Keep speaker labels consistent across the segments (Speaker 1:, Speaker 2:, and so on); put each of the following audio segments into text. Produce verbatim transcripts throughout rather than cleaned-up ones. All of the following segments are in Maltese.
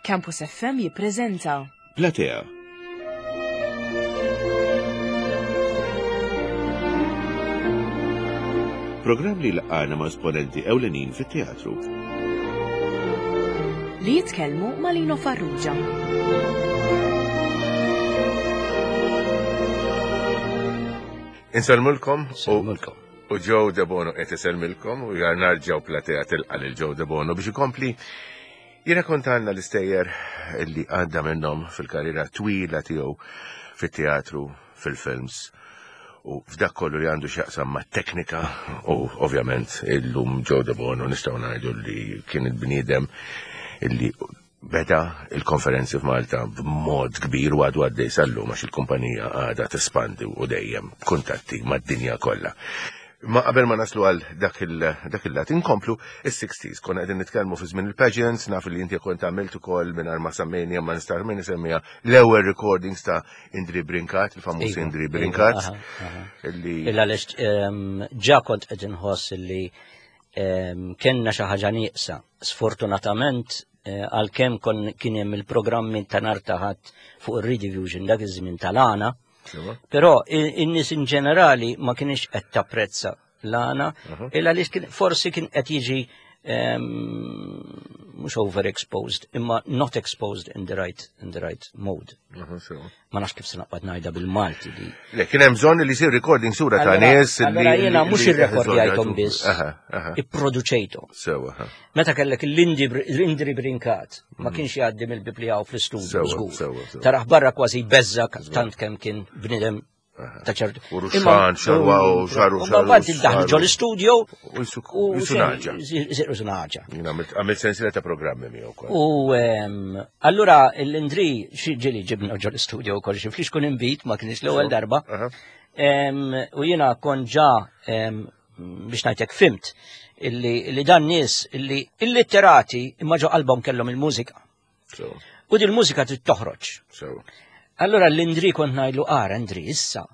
Speaker 1: Campus F M jippreżenta
Speaker 2: Platea. Programm li laqana ma' esponenti ewlenin fit-teatru.
Speaker 1: Li jitkellmu ma' Lino Farrugia.
Speaker 2: Insellmulkom u
Speaker 3: Insellmulkom.
Speaker 2: U Joe Debono qed isellmilkom u narġgħu Platea tilqa' lil Joe Debono biex ikompli jirrakkontalna l-istejjer li għadda minnhom fil-karriera twila tiegħu fit-teatru, fil-films u f'dak kollu li għandu x'jaqsam ma' teknika. U ovvjament illum Joe Debono nistgħu ngħidu li kien il-bniedem illi beda il-konferenzi f'Malta b'mod kbir u għadu għaddej sal-lum, għax il-kumpanija għadha tespandi u dejjem kuntatti mad-dinja kollha. Ma qabel ma naslu għal dak il- dak il-lat, inkomplu is-sixties. Konna qegħdin nitkellmu fi żmien il-pageants, naf li inti kont għamilt ukoll, mingħajr ma semmejni, ma nista' min isemmija, l-ewwel recordings ta' Indri Brinkat, il-famuż
Speaker 3: Iva,
Speaker 2: Indri
Speaker 3: iva,
Speaker 2: Brinkat.
Speaker 3: aha, aha.
Speaker 2: Illi
Speaker 3: Illa għaliex ehm, ġa kont qed inħoss li ehm, kellna xi ħaġa nieqsa. Sfortunatament, eh, għalkemm kon kien hemm il-programmi ta' nhar ta' Ħadd fuq ir-Rediffusion dak iż-żmien tal-għana,
Speaker 2: Sewa?
Speaker 3: però i- in-nies in ġenerali ma kienx qed tapprezza l-għana, illa għaliex kien forsi kien qed jiġi ehm, mhux overexposed, imma not exposed in the right in the right mode.
Speaker 2: Aha, sewa.
Speaker 3: Ma nafx kif se naqbad ngħidha bil-Malti di.
Speaker 2: Le, kien hemm bżonn li jsir recording sura ta'
Speaker 3: Allora-
Speaker 2: nies li
Speaker 3: Allora jiena mhux
Speaker 2: li-
Speaker 3: irrekordjajthom biss,
Speaker 2: Aha, aha.
Speaker 3: ipproduċejthom.
Speaker 2: Sewa, aha.
Speaker 3: Meta kellek l-Indri Brinkat, ma kienx jgħaddi mill-biblija u fl-istudio,
Speaker 2: Sewa,
Speaker 3: żgur.
Speaker 2: sewa, sewa.
Speaker 3: Taraħ barra kważi beżżak tant kemm kien bnidem ta' ċertu.
Speaker 2: U ruxxan, xarwa, u xaru,
Speaker 3: Ma
Speaker 2: xaru,
Speaker 3: mbagħad iddaħlu
Speaker 2: xaru.
Speaker 3: ġol istudio
Speaker 2: U jisu-
Speaker 3: u
Speaker 2: jisu naġa.
Speaker 3: Ziru naġa.
Speaker 2: Jien għamilt għamilt sensiela ta' programmi miegħu wkoll.
Speaker 3: U ehm, allura l-Indri xi ġili ġibna ġol istudio wkoll xi flix kun imbit, ma kienx l-ewwel darba.
Speaker 2: Aha.
Speaker 3: Em, U jiena kon ġa em, biex ngħidlek fimt illi, illi dan nies illi illitterati imma ġo qalbhom kellhom il-mużika.
Speaker 2: Sewa,
Speaker 3: U din il-mużika trid toħroġ.
Speaker 2: sewa.
Speaker 3: Allora l-Indri kont ngħidlu: "Ara Indri, issa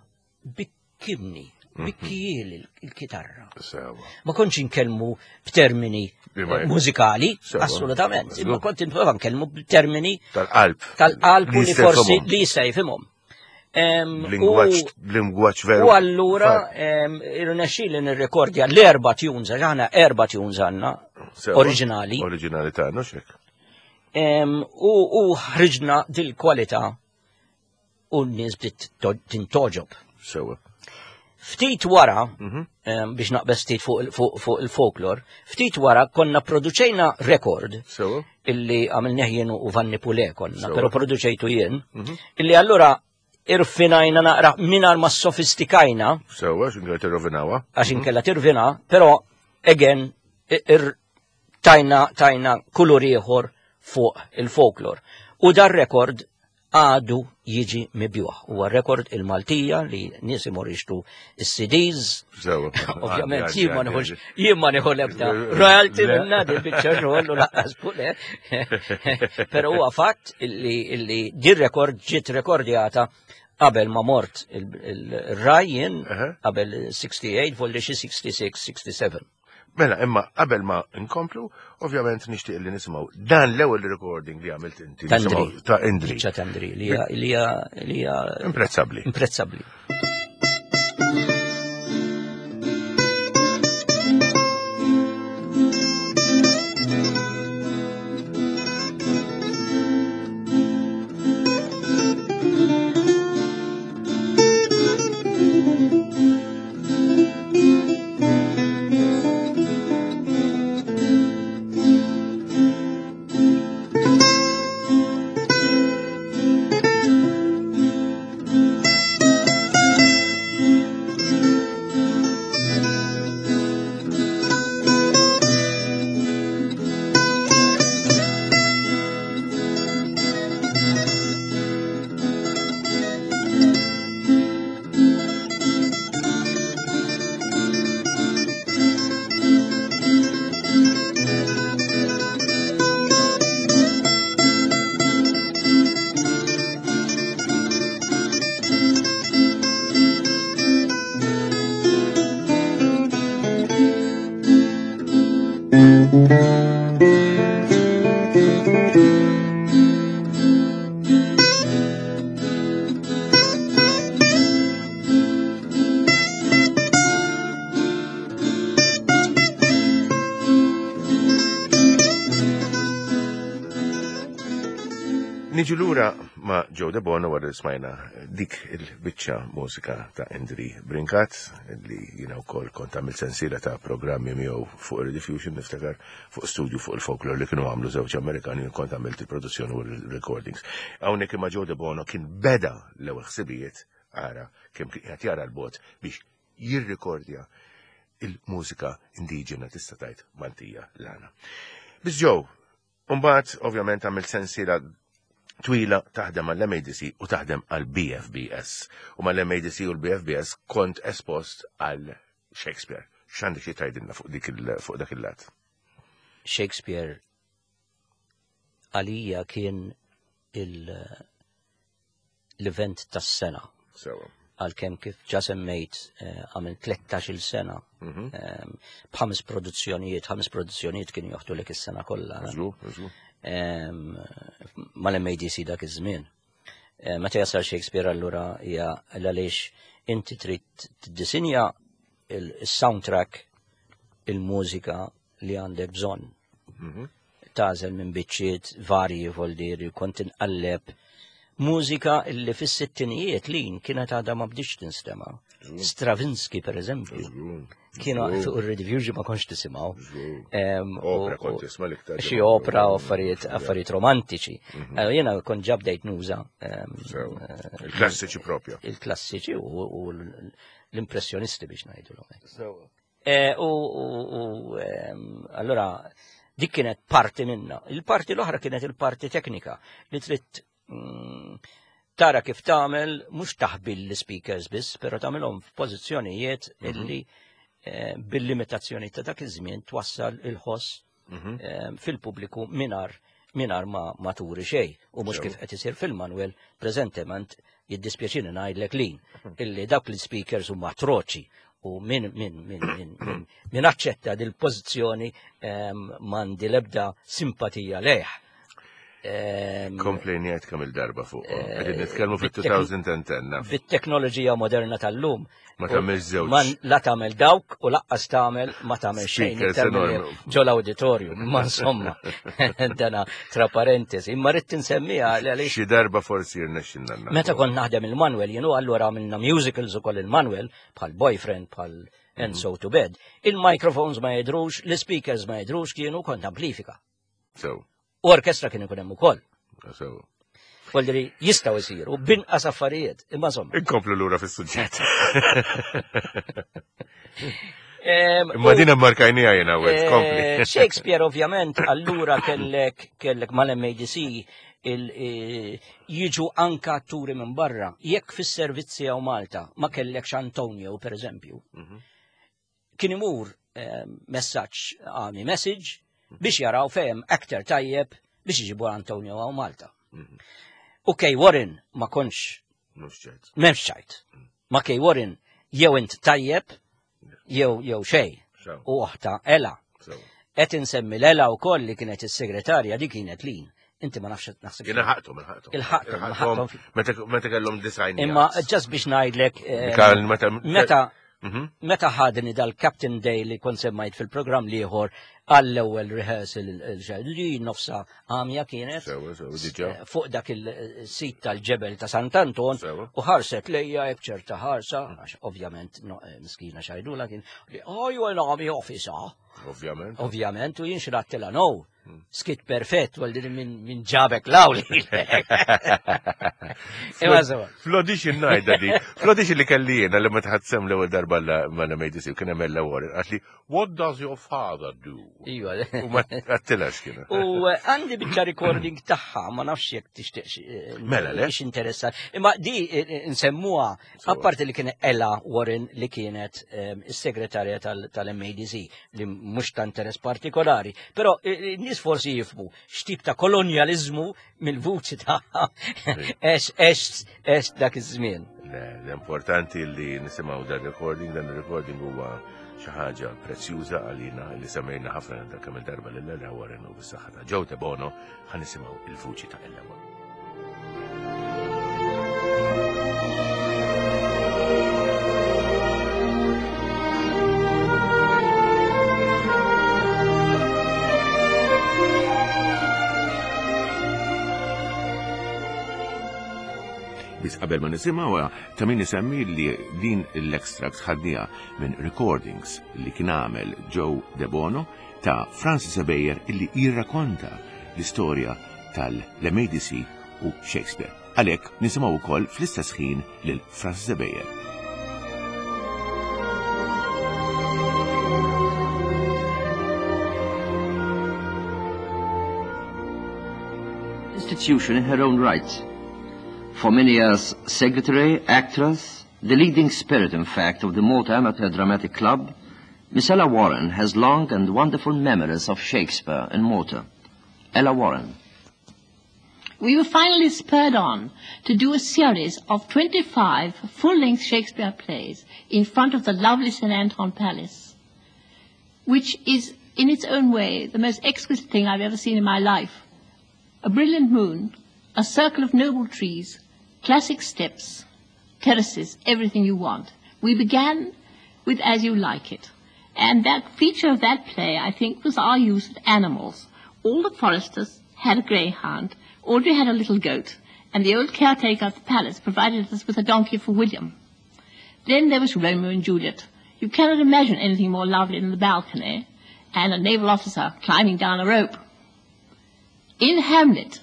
Speaker 3: bikkimni, bikkijieli il-kitarra."
Speaker 2: Sewa.
Speaker 3: Ma kontx inkellmu b'termini
Speaker 2: Bima
Speaker 3: eh, mużikali,
Speaker 2: Sewa.
Speaker 3: assolutament, imma
Speaker 2: Żgur.
Speaker 3: kont nipprova nkellmu b'termini
Speaker 2: Tal-qalb.
Speaker 3: tal-qalb u li
Speaker 2: jista'
Speaker 3: forsi
Speaker 2: jifhimhom.
Speaker 3: li jista' jifhimhom. Em, u-
Speaker 2: Lingwaġġ lingwaġġ veru.
Speaker 3: U allura
Speaker 2: Fat.
Speaker 3: em, irnexxieli nirrekordja l-erba' tunes, għax aħna erba' tunes għandna
Speaker 2: Sewa.
Speaker 3: oriġinali.
Speaker 2: Oriġinali tagħna xek.
Speaker 3: Em, U u ħriġna dil-kwalità u n-nies bdiet to- tintoġob.
Speaker 2: Sewa.
Speaker 3: Ftit wara,
Speaker 2: Mhm.
Speaker 3: em, biex naqbeż ftit fuq il- fuq fuq il-folklor, ftit wara konna produċejna rekord
Speaker 2: Sewa.
Speaker 3: illi għamilnieh jien u Vanni Pule konna,
Speaker 2: Sewa.
Speaker 3: pero produċejtu jien,
Speaker 2: Mhm.
Speaker 3: illi allura irfinajna naqra mingħajr ma sofistikajna,
Speaker 2: Sewa, x'inkella tirrovinawha.
Speaker 3: għax inkella tirvina, però again ir tajna tajna kulur ieħor fuq il-folklor. U dar rekord għadu jiġi mibjuħ. Huwa rekord il-Maltija li nies imorru jixtru is-C Ds.
Speaker 2: Sewa.
Speaker 3: Ovvjament,
Speaker 2: Għaddi,
Speaker 3: jien ma
Speaker 2: għaddi,
Speaker 3: nieħux
Speaker 2: għaddi.
Speaker 3: jien ma nieħu l-ebda royalty minna din biċċa xogħol u lanqas Pule. Però huwa fatt illi illi din rekord ġiet rekordjata qabel ma mort il-Rai jien,
Speaker 2: Aha.
Speaker 3: qabel sitta u sittin, volli xi sitta u sittin, sitta u sebgħin.
Speaker 2: Mela, imma qabel ma nkomplu, ovvjament nixtieq li nisimgħu dan l-ewwel recording li għamilt inti.
Speaker 3: Ta' Indri.
Speaker 2: Nisimgħu ta' Indri.
Speaker 3: Biċċa ta' Indri li hija li hija li hija
Speaker 2: Imprezzabbli.
Speaker 3: Imprezzabbli.
Speaker 2: Thank Niġu lura ma' Joe De Bono wara li smajna dik il-biċċa mużika ta' Indri Brincat, li jiena wkoll kont għamilt sensiela ta' programmi miegħu fuq Rediffusion, niftakar fuq studio fuq il-folklore li kienu għamlu żewġ Amerikani, kont għamilt il-produzzjoni u il-recordings. Hawnhekk imma Joe De Bono kien beda l-ewwel ħsibijiet, ara kemm qed jara l-bot biex jirrikordja il-mużika indiġena tista' tgħid Maltija l-għana. Biss Joe, mbagħad ovvjament għamilt sensiela twila taħdem għall-M A D C u taħdem għall-B F B S. U mal-M A D C u l-B F B S kont espost għal Shakespeare. X'għandek xi tgħidilna fuq dik il-, fuq dak il-lat?
Speaker 3: Shakespeare għalija kien il-, l-event tas-sena.
Speaker 2: Sewa.
Speaker 3: Għalkemm kif ġa semmejt, eh, għamil tlettax-il sena,
Speaker 2: Mhm.
Speaker 3: ehm, b'ħames produzzjonijiet, ħames produzzjonijiet kienu joħdu lek is-sena kollha.
Speaker 2: Żgur, żgur.
Speaker 3: Ehm, mal-M A D C dak iż-żmien. Eh, meta jasal Shakespeare allura hija għaliex inti trid tiddisinja il-soundtrack, il-mużika li għandek bżonn.
Speaker 2: Mhm.
Speaker 3: Tażel minn biċċiet varji voldieri, kont inqalleb mużika illi fis-sittinijiet lin kienet għadha ma bdietx tinstema'.
Speaker 2: Żgur.
Speaker 3: Stravinsky, per eżempju.
Speaker 2: Żgur.
Speaker 3: Kienu
Speaker 2: Żgur.
Speaker 3: fuq ir-Rediffusion ma kontx tisimgħu.
Speaker 2: Żgur.
Speaker 3: Em,
Speaker 2: Opera
Speaker 3: u-
Speaker 2: kont
Speaker 3: u
Speaker 2: tisma' l-iktar
Speaker 3: Xi
Speaker 2: ġimgħa.
Speaker 3: opera u affarijiet, affarijiet romantiċi.
Speaker 2: Mhm.
Speaker 3: Eh, jiena kont ġa bdejt nuża, em,
Speaker 2: Sewa.
Speaker 3: eh,
Speaker 2: Il-klassiċi propju.
Speaker 3: Il-klassiċi u, u l-impressjonisti biex ngħidulhom hekk.
Speaker 2: Sewa.
Speaker 3: Eh, u, u, u, em, allura dik kienet parti minna. Il-parti l-oħra kienet il-parti teknika li trid, mm, tara kif tagħmel, mhux taħbi l-speakers biss, però tagħmilhom f'pożizzjonijiet
Speaker 2: Mhm.
Speaker 3: illi, eh, bil-limitazzjoni ta' dak iż-żmien twassal il-ħoss,
Speaker 2: Mhm.
Speaker 3: eh, fil-pubbliku minar, minar ma, ma turi xejn. U mhux
Speaker 2: Sew.
Speaker 3: kif qed isir fil-Manuel preżentement jiddispjaċini ngħidlek lin illi dawk l-speakers huma atroċi u min, min, min, min, min, min aċċetta dil-pożizzjoni, ehm, m'għandi l-ebda simpatija lejh. Ehm,
Speaker 2: Komplejniet kemm il-darba fuq.
Speaker 3: Eh,
Speaker 2: Qegħdin nitkellmu
Speaker 3: bit-tekn-
Speaker 2: fit-two thousand and ten, naf.
Speaker 3: Bit-teknoloġija moderna tal-lum.
Speaker 2: Ma tagħmilx żewġ.
Speaker 3: Ma la tagħmel dawk u laqqas tagħmel ma tagħmel xejn
Speaker 2: Speakers
Speaker 3: iktar milli
Speaker 2: enormi.
Speaker 3: ġol auditorium, ma insomma, dana tra parentesi. Imma rrid tinsemmiha għaliex
Speaker 2: Xi darba forsi jirnexxilna nagħmlu.
Speaker 3: Meta kont naħdem il-Manuel, jienu allura għamilna musicals ukoll il-Manuel, bħal Boyfriend, bħal And So to Bed. Il-microphones ma jidrux, l-speakers ma jidrux, kienu kont amplifika.
Speaker 2: Sew.
Speaker 3: U orkestra kien ikun hemm ukoll.
Speaker 2: Sew.
Speaker 3: Voldiri jistgħu jsiru binqas affarijiet, imma insomma.
Speaker 2: Inkomplu lura fis-suġġett.
Speaker 3: Em,
Speaker 2: Imma
Speaker 3: u-
Speaker 2: din immarkajnija jiena wet,
Speaker 3: Eh,
Speaker 2: kompli.
Speaker 3: Shakespeare ovvjament allura kellek kellek mal-M A D C il, eh, jiġu anka atturi minn barra. Jekk fis-servizzi hawn Malta ma kellekx Antonio per eżempju.
Speaker 2: Mhm.
Speaker 3: Kien imur, eh, messaġġ għami message biex jaraw fehem aktar tajjeb biex iġibu Antonio hawn Malta.
Speaker 2: Mhm.
Speaker 3: U Kay Warren ma kontx
Speaker 2: Mhux ċert.
Speaker 3: M'hemmx ċajt. Ma Kay Warren jew int tajjeb jew jew xejn.
Speaker 2: Sew.
Speaker 3: U oħta Ella.
Speaker 2: Sew.
Speaker 3: Qed insemmi l-Ella wkoll li kienet is-segretarja, di kienet lin. Inti ma nafx naħseb.
Speaker 2: Jiena ħaqthom, il-ħaqthom.
Speaker 3: Il-ħaqthom,
Speaker 2: Il-ħaqthom.
Speaker 3: il-ħaqthom.
Speaker 2: Meta, meta kellhom design
Speaker 3: Imma
Speaker 2: yards.
Speaker 3: ġast biex ngħidlek, eh,
Speaker 2: Mika, meta
Speaker 3: meta
Speaker 2: Mhm.
Speaker 3: meta ħadni dal-Captain Day li kont semmajt fil-programm liħor għall-ewwel rehearsal il-, li nofsa għamja kienet
Speaker 2: Sewa, sewa, diġà.
Speaker 3: eh, fuq dak il-sit tal-ġebel ta' Sant'Anton
Speaker 2: Sewa.
Speaker 3: u ħarset lejja hekk ċerta ħarsa, għax ovvjament no, eh, miskina xajdula kien li oh, you an army officer.
Speaker 2: Ovvjament.
Speaker 3: Ovvjament, u jien xrattila no. Skit perfett, għal din minn min ġabek law li. Imma sewa.
Speaker 2: Fl-audition najda di. Fl-audition li kelli jiena li ma tħadsem l-ewwel darba mal-M A D C kien hemm Ella Warren qalt li what does your father do?
Speaker 3: Iva.
Speaker 2: U ma għattilax kien.
Speaker 3: U, eh, għandi biċċa recording tagħha, ma nafx jekk tixtieq xi, eh,
Speaker 2: Mela, le?
Speaker 3: xi interessat. Imma di, eh, eh, nsemmuha,
Speaker 2: Sewa.
Speaker 3: apparti li kien Ella Warren li kienet, ehm, is-segretarja tal-, tal-M A D C, li mhux ta' interess partikolari, però, eh, eh, nies forsi jifhmu x'tip ta' kolonjaliżmu mill-vuċi tagħha ex, ex, ex dak iż-żmien.
Speaker 2: Le, l-importanti li nisimgħu dan recording, dan recording huwa xi ħaġa prezzjuża għalina li semmejna ħafna dak kemm il-darba lil Ella Warren u bis-saħħa ta' Joe Debono ħa nisimgħu il-vuċi ta' Ella Warren. Qabel ma nisimgħu ta' min isemmi li din l-extract ħadniha minn recordings li kien għamel Joe De Bono ta' Francis Ebejer illi jirrakonta l-istorja tal-M A D C u Shakespeare. Għalhekk nisimgħu wkoll fl-istess ħin lil Francis Ebejer.
Speaker 4: Institution in her own right. For many years, secretary, actress, the leading spirit, in fact, of the Malta Amateur Dramatic Club, Miss Ella Warren has long and wonderful memories of Shakespeare in Malta. Ella Warren.
Speaker 5: We were finally spurred on to do a series of twenty-five full-length Shakespeare plays in front of the lovely Saint Anton Palace, which is, in its own way, the most exquisite thing I've ever seen in my life. A brilliant moon, a circle of noble trees, classic steps, terraces, everything you want. We began with As You Like It. And that feature of that play, I think, was our use of animals. All the foresters had a greyhound, Audrey had a little goat, and the old caretaker of the palace provided us with a donkey for William. Then there was Romeo and Juliet. You cannot imagine anything more lovely than the balcony and a naval officer climbing down a rope. In Hamlet,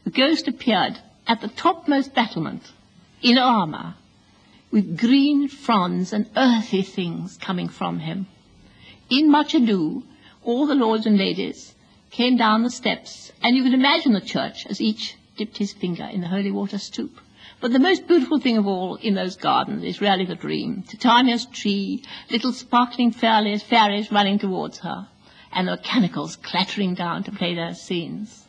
Speaker 5: the ghost appeared at the topmost battlement in armour, with green fronds and earthy things coming from him. In Much Ado, all the lords and ladies came down the steps, and you can imagine the church as each dipped his finger in the holy water stoup. But the most beautiful thing of all in those gardens is really the dream. Titania's tree, little sparkling fairies, fairies running towards her, and the mechanicals clattering down to play their scenes.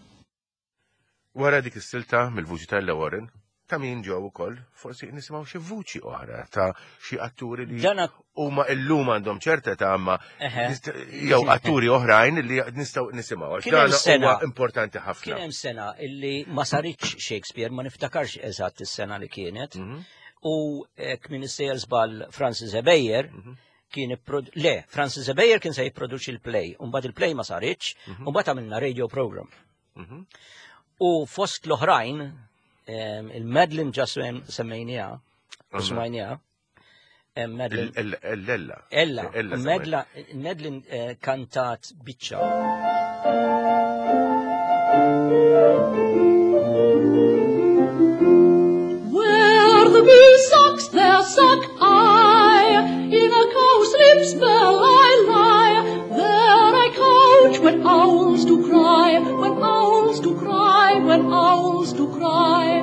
Speaker 2: Wara dik is-silta mill-vuċi ta' Warren, ta' min ġew ukoll forsi nisimgħu xi vuċi oħra ta' xi atturi li
Speaker 3: Dana
Speaker 2: huma illum għandhom ċerta ta' ma
Speaker 3: Eħe.
Speaker 2: nist- jew atturi oħrajn li nistgħu nisimgħu għax
Speaker 3: Kien hemm
Speaker 2: dan
Speaker 3: sena-
Speaker 2: huwa importanti
Speaker 3: Kien
Speaker 2: ħafna.
Speaker 3: hemm sena illi ma saritx Shakespeare, ma niftakarx eżatt is-sena li kienet.
Speaker 2: Mhm.
Speaker 3: U jekk m'iniex sejjer żball Francis Ebejer
Speaker 2: Mhm.
Speaker 3: kien ipprod- le, Francis Ebejer kien se jipproduċi l-play, u mbagħad il-play ma saritx, u mbagħad għamilna radio program.
Speaker 2: Mhm.
Speaker 3: U fost l-oħrajn, em, il-Madeline ġa semmejnieha, u smajnieha, em, Madeline,
Speaker 2: Il- il- Ella.
Speaker 3: Ella,
Speaker 2: Ella
Speaker 3: Medla, Madeline eh, kantat biċċa.
Speaker 5: Where the bee sucks, there suck I. In a cowslip's bell I lie. There I couch when owls do cry, when owls do cry, when owls do cry.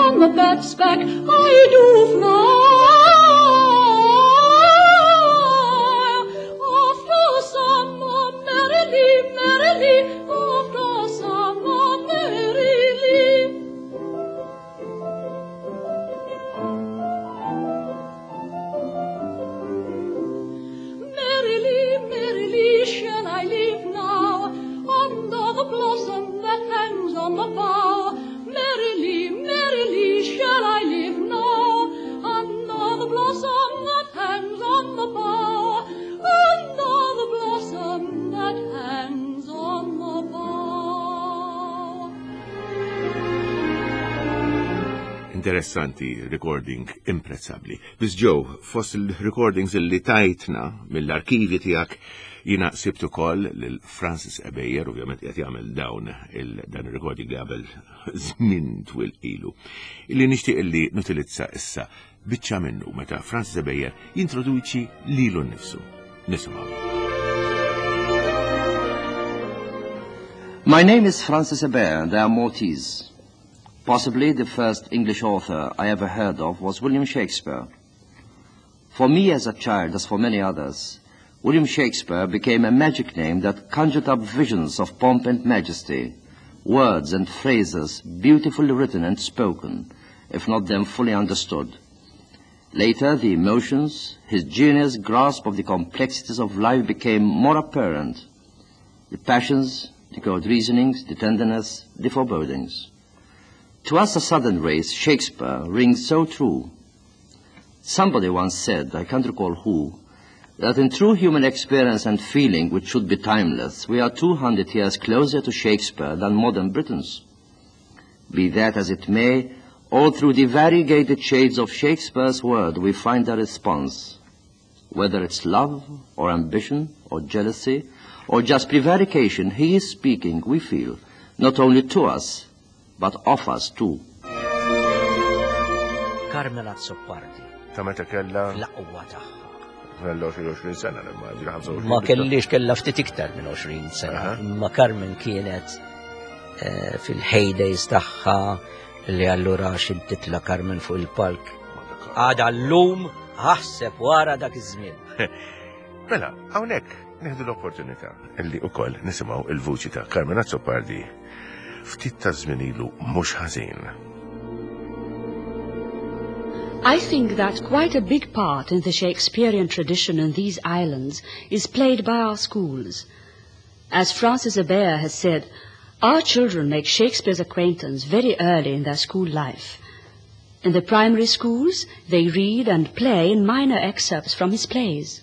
Speaker 5: On the bat's back I do fly. After summer, merrily, merrily, after summer, merrily. Merrily, merrily shall I live now, under the blossom that hangs on the bough. Merrily, merrily shall I live now, under the blossom that hangs on the bough, under the blossom that hangs on the bough.
Speaker 2: Interessanti, recording imprezzabbli. Biss Joe, fost il-recordings illi tajtna mill-arkivi tiegħek jiena sibt ukoll lil Francis Ebejer, ovvjament qed jagħmel dawn il dan il-recording li qabel żmien twil ilu. Illi nixtieq illi nutilizza issa biċċa minnu meta Francis Ebejer jintroduċi lilu nnifsu. Nisimgħu.
Speaker 4: My name is Francis Ebejer, and I am Maltese. Possibly the first English author I ever heard of was William Shakespeare. For me as a child, as for many others, William Shakespeare became a magic name that conjured up visions of pomp and majesty, words and phrases beautifully written and spoken, if not then fully understood. Later, the emotions, his genius grasp of the complexities of life became more apparent. The passions, the cold reasonings, the tenderness, the forebodings. To us, a southern race, Shakespeare rings so true. Somebody once said, I can't recall who, that in true human experience and feeling, which should be timeless, we are two hundred years closer to Shakespeare than modern Britons. Be that as it may, All through the variegated shades of Shakespeare's word we find a response. Whether it's love or ambition or jealousy or just prevarication, he is speaking, we feel, not only to us, but of us too.
Speaker 3: Carmen Azzopardi.
Speaker 2: Ta' meta kella?
Speaker 3: L-aqwa tagħha.
Speaker 2: Kella għoxrin sena, nimmaġina, ħamsa u għoxrin.
Speaker 3: Ma kellix, kella ftit iktar minn għoxrin sena. Imma Carmen kienet eh, fil-heydays tagħha li allura xintitla Carmen fuq il-palk. Għada l-lum ħasseb wara dak iż-żmien.
Speaker 2: Mela, hawnhekk nieħdu l-opportunità illi ukoll nisimgħu il-vuċi ta' Carmen Azzopardi ftit ta' żmien ilu mhux ħażin.
Speaker 6: I think that quite a big part in the Shakespearean tradition in these islands is played by our schools. As Francis Hebert has said, our children make Shakespeare's acquaintance very early in their school life. In the primary schools, they read and play in minor excerpts from his plays.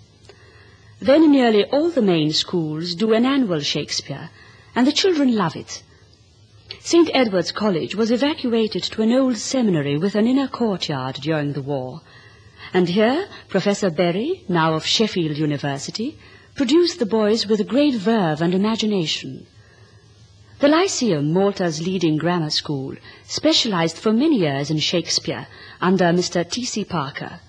Speaker 6: Then nearly all the main schools do an annual Shakespeare, and the children love it. Saint Edward's College was evacuated to an old seminary with an inner courtyard during the war. And here, Professor Berry, now of Sheffield University, produced the boys with great verve and imagination. The Lyceum, Malta's leading grammar school, specialized for many years in Shakespeare under Mister T C Parker.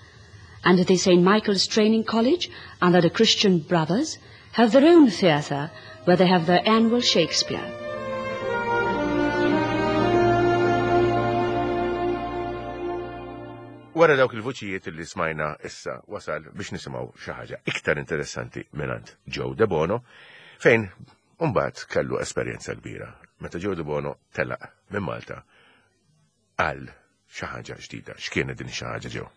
Speaker 6: And the Saint Michael's Training College, under the Christian Brothers, have their own theatre where they have their annual Shakespeare.
Speaker 2: Wara dawk il-vuċijiet li smajna issa wasal biex nisimgħu xi ħaġa iktar interessanti mingħand Joe Debono, fejn mbagħad kellu esperjenza kbira. Meta Joe Debono telaq minn Malta għal xi ħaġa ġdida. X'kienet din xi ħaġa, Joe?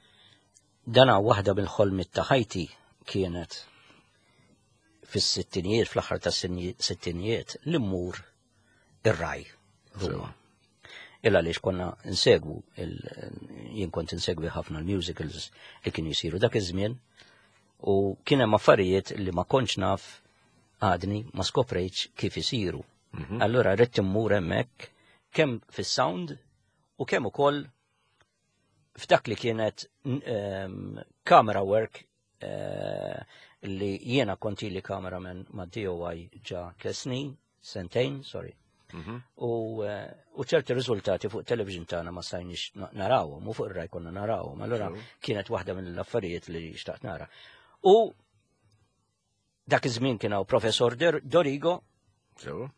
Speaker 3: Dana waħda mill-ħolmiet ta' ħajti kienet fis-sittinijiet, fl-aħħar tas-sittinijiet, li mmur ir-Rai Ruma. Illa għaliex konna nsegwu, jien kont insegwi ħafna l-musicals li kienu jisiru dak iż-żmien, u kien hemm affarijiet li ma kontx naf għadni ma skoprejtx kif isiru. Allura rrid immur hemmhekk kemm fis-sound u kemm ukoll f'dak li kienet camera work li jiena kont ili cameraman ma' D O I ġa tliet snin, sentejn, sorry. U ċerti riżultati fuq television tagħna ma stajniex narawhom, u fuq ir-Rai konna narawhom. Allura kienet waħda mill-affarijiet li xtaqt nara. U dak iż-żmien kien hawn Professor Dorigo.
Speaker 2: Sew.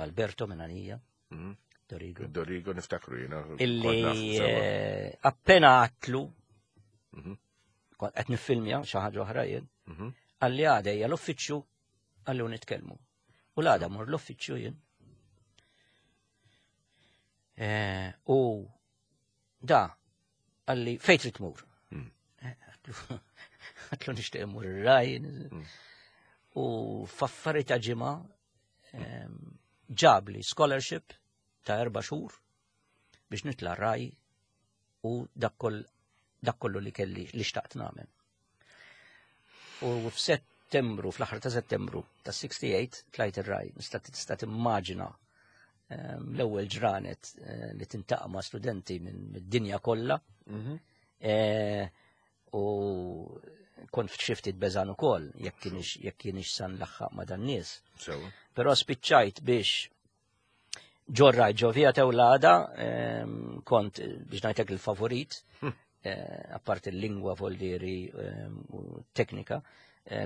Speaker 3: Alberto Menanija. Dorigo.
Speaker 2: Dorigo niftakru jiena.
Speaker 3: Illi appena għatlu, qed niffilmja xi ħaġa oħra jien, qalli għadejja l-uffiċċju qalli nitkellmu. U l-għada mur l-uffiċċju jien. U da qalli fejn trid tmur? Għatlu nixtieq immur ir-Rai. U f'affari ta' ġimgħa ġabli scholarship ta' erba' xhur biex nitla' Rai u dak kollu li kelli li xtaqt nagħmel. U f'Settembru, fl-aħħar ta' Settembru ta' sixty-eight tlajt ir-Rai. Nista' tista' timmaġina l-ewwel ġranet li tintaqa' ma' studenti mid-dinja kollha. U kont f'xi ftit beżan ukoll jekk kienx san laħħaq ma' dan nies. Però spiċċajt biex ġorraj ġo Via Teulada, kont biex ngħidlek il-favorit, apart il-lingwa voldieri u teknika,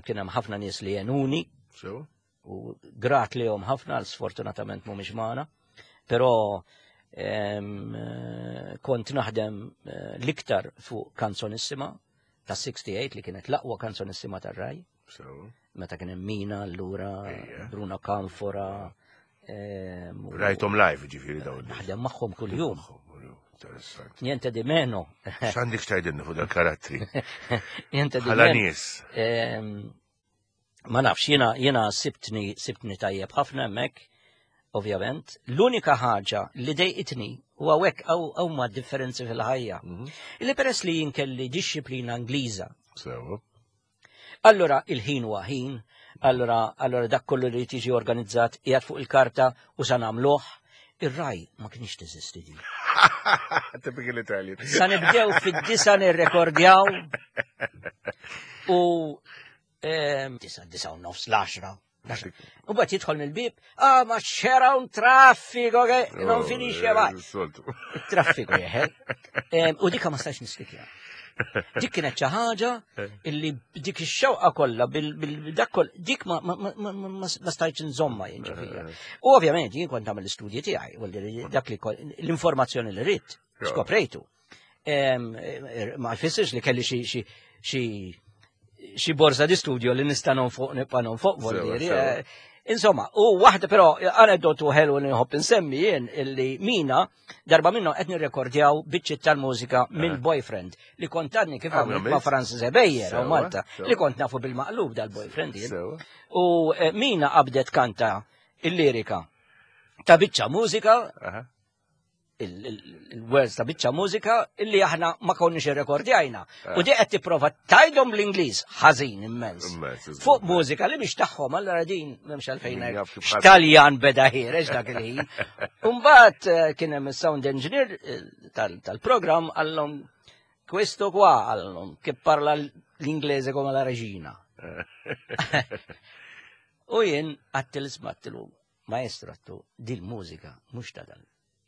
Speaker 3: kien hemm ħafna nies li jenuni. U grat li jom ħafna, sfortunatament mhumiex magħna, però kont naħdem l-iktar fuq kanzonissima ta' sixty-eight li kienet l-aqwa kanzonissima tar-Rai. Meta kien hemm Mina, allura Bruno Canfora.
Speaker 2: Rajthom live ġifieri dawn.
Speaker 3: Naħdem magħhom kuljum. Niente di meno.
Speaker 2: X'għandek x'tgħidilna fuq dal-karattri?
Speaker 3: Niente di
Speaker 2: Bħala
Speaker 3: meno.
Speaker 2: nies.
Speaker 3: Ma nafx, jiena, jiena sibtni, sibtni tajjeb ħafna hemmhekk, ovvjament. L-unika ħaġa li dejqitni u hawnhekk hawn huma differenzi fil-ħajja. Illi peress li jien kelli dixxiplina Ingliża.
Speaker 2: Sewa.
Speaker 3: Allura il-ħin huwa ħin, allura, allura dak kollu li tiġi organizzat qiegħed fuq il-karta u sa nagħmluh. Ir-Rai ma kienx teżisti din.
Speaker 2: Typical Italian.
Speaker 3: Sa nibdew fid-disa nirrekordjaw u ehm, disa, disa u nofs, l-għaxra. U mbagħad jidħol mill-bib, ah, ma c'era un traffico che non finisce mai.
Speaker 2: Soltu.
Speaker 3: Traffiku jeħel. Em, U dika ma stax niskipja. Dik kienet xi ħaġa illi dik ix-xewqa kollha bil dak koll dik ma ma ma ma ma ma stajtx nżomma jien ġifieri. U ovvjament jien kont nagħmel l-istudji tiegħi, u li dak li kol- l-informazzjoni li ridt, skoprejtu. Em, eh, Ma jfissirx li kelli xi xi xi xi borsa di studio li nista' nonfoq nibqa' nonfoq
Speaker 2: Sewa,
Speaker 3: voldieri.
Speaker 2: sewa.
Speaker 3: eh, Insomma, u waħda però aneddotu ħelu li nħobb insemmi jien illi Mina darba minnhom qed nirrekordjaw biċċiet tal-mużika mill-Boyfriend li kont għadni kif
Speaker 2: Ah,
Speaker 3: għamilt
Speaker 2: għamilt?
Speaker 3: ma' Francis Ebejer u
Speaker 2: Sewa,
Speaker 3: Malta
Speaker 2: sewa.
Speaker 3: li kont nafu bil-maqlub dal-Boyfriend jien.
Speaker 2: Sewa.
Speaker 3: U eh, Mina qabdet kanta il-lirika ta' biċċa mużika
Speaker 2: Aha.
Speaker 3: il-words ta' biċċa mużika illi aħna ma konniex irrekordjajna. U di qed tipprova tgħidhom l-Ingliż ħażin immens.
Speaker 2: Immens, iżgur.
Speaker 3: Fuq mużika li mhix tagħhom allura din m'hemmx għalfejn
Speaker 2: Min
Speaker 3: ngħid
Speaker 2: jaf kif ħadd-
Speaker 3: x'Taljan beda ħiereġ dak il-ħin. Umbagħad eh, kien hemm is-sound engineer eh, tal- tal-programm qallhom questo qua qallhom che parla l-Inglese come la regina. U jien għedtlu isma' għedtlu maestro għedtlu dil-mużika mhux ta' dal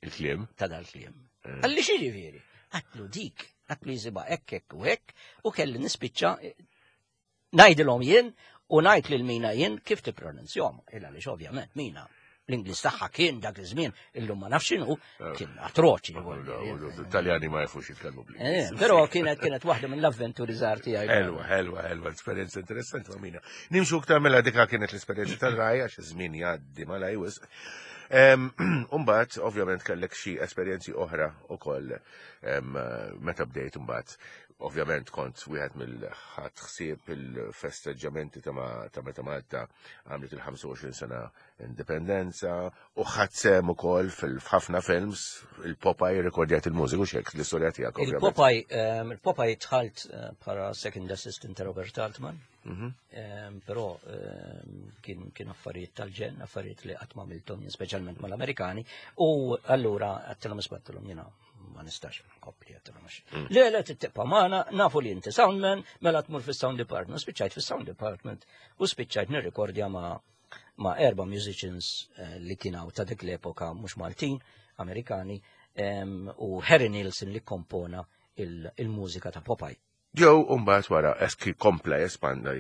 Speaker 2: Il-kliem.
Speaker 3: ta' dal-kliem. Qalli x'jiġifieri? Għedtlu dik, għedtlu jisimha hekk hekk u hekk, u kelli nispiċċa eh, ngħidilhom jien u ngħid lil Mina jien kif tippronunzjahom. Illa li ovvjament Mina l-Ingliż tagħha kien dak iż-żmien illum ma nafx x'inhu kien atroċi.
Speaker 2: Italjani ma jafux jitkellmu
Speaker 3: Eh,
Speaker 2: bl-Ingliż.
Speaker 3: Però kienet kienet waħda mill-avventuri żgħar tiegħi.
Speaker 2: Ħelwa, ħelwa, ħelwa, esperjenza interessanti ma' Mina. Nimxu iktar mela dika kienet l-esperjenza tal-Rai, għax iż-żmien jgħaddi malajr wisq. Umbagħad, ovvjament, kellek xi esperjenzi oħra ukoll em, meta bdejt umbagħad. Ovvjament kont wieħed mill-ħadd ħsieb il-festeġġamenti ta' ma- ta' meta Malta għamlet il-ħamsa u għoxrin sena indipendenza u ħadt sehem ukoll fil-ħafna films, il-Popeye rekordjat il-mużiku xek l-istorja tiegħek ovvjament.
Speaker 3: Il-Popeye, ehm, il-Popeye dħalt eh, bħala second assistant ta' Robert Altman.
Speaker 2: Mhm.
Speaker 3: Ehm, Però ehm, kien kien affarijiet tal-ġenn, affarijiet li qatt ma għamilthom jien speċjalment mal-Amerikani. U allura għedtilhom isma' għedtilhom jiena ma nistax nkompli għedtilhom għax. Le, le, tibqa' magħna, nafu li inti soundman, mela tmur fis-sound department. Spiċċajt fis-sound department u spiċċajt nirrekordja ma' ma' erba' musicians eh, li kienu ta' dik l-epoka mhux Maltin, Amerikani, em, u Harry Nilsson li kompona il- il-mużika ta' Popeye.
Speaker 2: Joe umbagħad wara eski kompla jespanda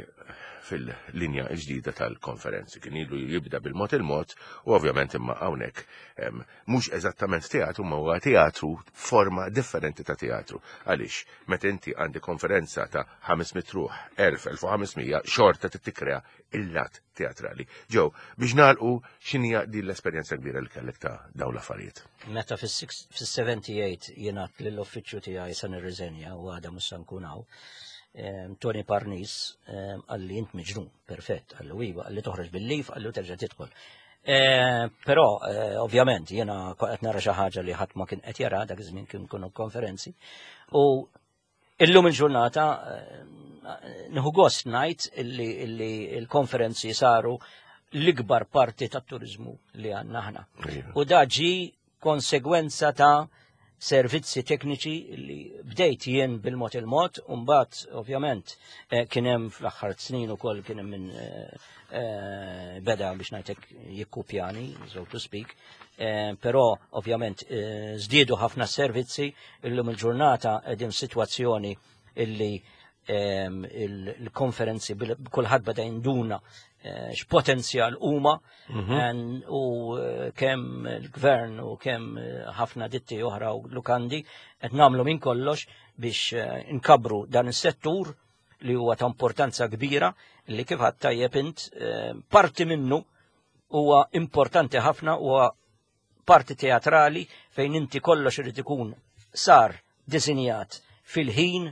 Speaker 2: fil-linja ġdida tal-konferenzi. Kien ilu jibda bil-mod il-mod u ovvjament imma hawnhekk em, mhux eżattament teatru ma huwa teatru forma differenti ta' teatru. Għaliex meta inti għandi konferenza ta' ħames mitt ruħ, elf, elf u ħames mija, xorta tikkrea il-lat teatrali. Joe, biex nagħlqu x'inhija din l-esperjenza kbira li kellek ta' dawn l-affarijiet?
Speaker 3: Meta fis-sebgħa u sebgħin jiena lill-uffiċċju tiegħi se nirriżenja u għada mhux se nkun hawn. Em, Tony Parnis em, qalli int miġnun, perfett, qalli iva, qalli toħroġ bil-leave, qalli u terġa' tidħol. Eh, Però eh, ovvjament jiena qed nara xi ħaġa li ħadd ma kien qed jara dak iż-żmien kien kienu konferenzi. U illum il-ġurnata eh, nieħu gost ngħid illi illi il-konferenzi saru l-ikbar parti tat-turizmu li għandna aħna.
Speaker 2: Iva.
Speaker 3: U da ġi konsegwenza ta' servizzi tekniċi li bdejt jien bil-mod il-mod, u mbagħad ovvjament eh, kien hemm fl-aħħar snin ukoll kien hemm min eh, eh, beda biex ngħidlek jikkupjani, so to speak, eh, però ovvjament eh, żdiedu ħafna servizzi illum il-ġurnata qegħdin sitwazzjoni illi em, il- il-konferenzi bil- kulħadd beda jinduna eh, x'potenzjal huma en- u eh, kemm il-gvern u kemm eh, ħafna ditti oħra u lukandi qed nagħmlu minn kollox biex eh, nkabru dan is-settur li huwa ta' importanza kbira li kif għedt tajjeb int eh, parti minnu huwa importanti ħafna huwa parti teatrali fejn inti kollox irid ikun sar disinjat fil-ħin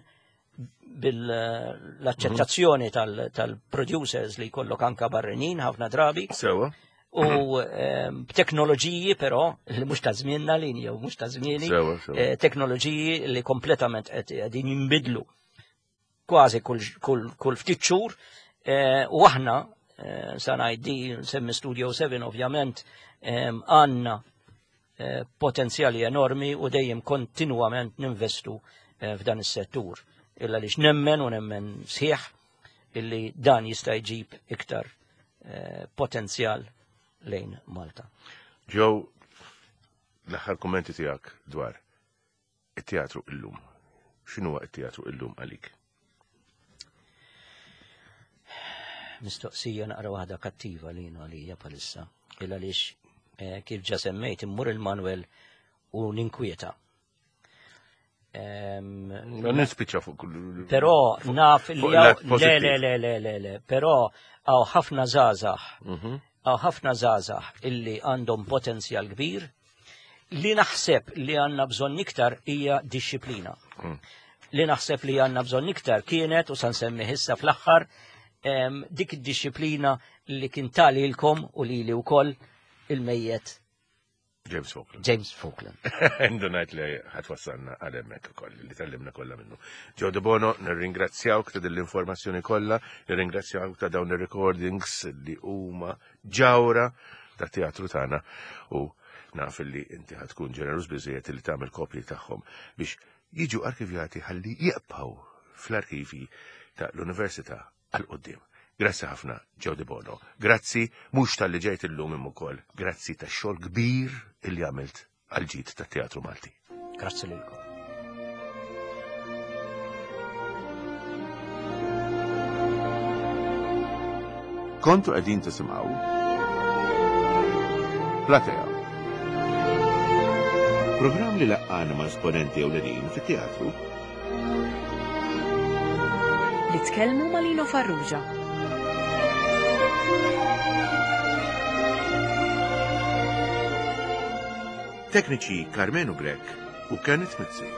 Speaker 3: bil-accettazzjoni tal-producers li jkollok anka barranin ħafna drabi
Speaker 2: Sewa.
Speaker 3: u ehm, b'teknoloġiji però li mhux ta' żmienna li jew mhux ta' żmieni
Speaker 2: Sewa, sewa.
Speaker 3: eh, teknoloġiji li kompletament qed qegħdin jinbidlu kważi kull kull kull ftit xhur eh, u aħna eh, sa ngħid nsemmi Studio seven ovvjament em, għandna eh, potenzjali enormi u dejjem kontinwament ninvestu eh, f'dan is-settur. Illa lix nemmen u nemmen sħiħ illi dan jista' jġib iktar eh, potenzjal lejn Malta.
Speaker 2: Joe, l-aħħar kummenti tiegħek dwar it-teatru illum. X'inhuwa t-teatru illum għalik?
Speaker 3: Mistoqsija naqra waħda kattiva li jiena għalija bħalissa. Illa għaliex eh, kif ġa semmejt immur il-Manuel u ninkwieta. Em,
Speaker 2: Ma nispiċċa fuq kull.
Speaker 3: Però naf li
Speaker 2: fuq
Speaker 3: hawn-
Speaker 2: lat
Speaker 3: le
Speaker 2: pożittiv.
Speaker 3: le le le le le, però hawn ħafna żgħażagħ
Speaker 2: Mhm.
Speaker 3: hawn ħafna żgħażagħ illi għandhom potenzjal kbir li naħseb li għandna bżonn iktar hija disċiplina.
Speaker 2: Mm.
Speaker 3: Li naħseb li għandna bżonn iktar kienet u sa nsemmi issa fl-aħħar em, dik id-disċiplina li kien talilkom u lili wkoll il-mejjet
Speaker 2: James Falkland.
Speaker 3: James Falkland.
Speaker 2: Indunajt li ħatwassalna għal hemmhekk ukoll li tallimna kollha minnu. Joe De Bono, nirringrazzjawk ta' din l-informazzjoni kollha, nirringrazzjawk ta' dawn ir-recordings li huma ġawra ta' teatru tagħna u naf li inti ħatkun ġeneruż biżejjed li tagħmel kopji tagħhom biex jiġu arkivjati ħalli jibqgħu fl-arkivi ta' l-Università għal quddiem. Grazzi ħafna, Joe De Bono. Grazzi mhux talli ġejt illum imma ukoll. Grazzi tax-xogħol kbir illi għamilt għal ġid tat-teatru Malti.
Speaker 3: Grazzi lilkom.
Speaker 2: Kontu qegħdin tisimgħu Platea. Programm li laqqana ma' esponenti ewlenin fit-teatru
Speaker 1: Li tkellmu ma' Lino Farrugia.
Speaker 2: Tekniċi Carmenu Grech u Kenneth Mizzi.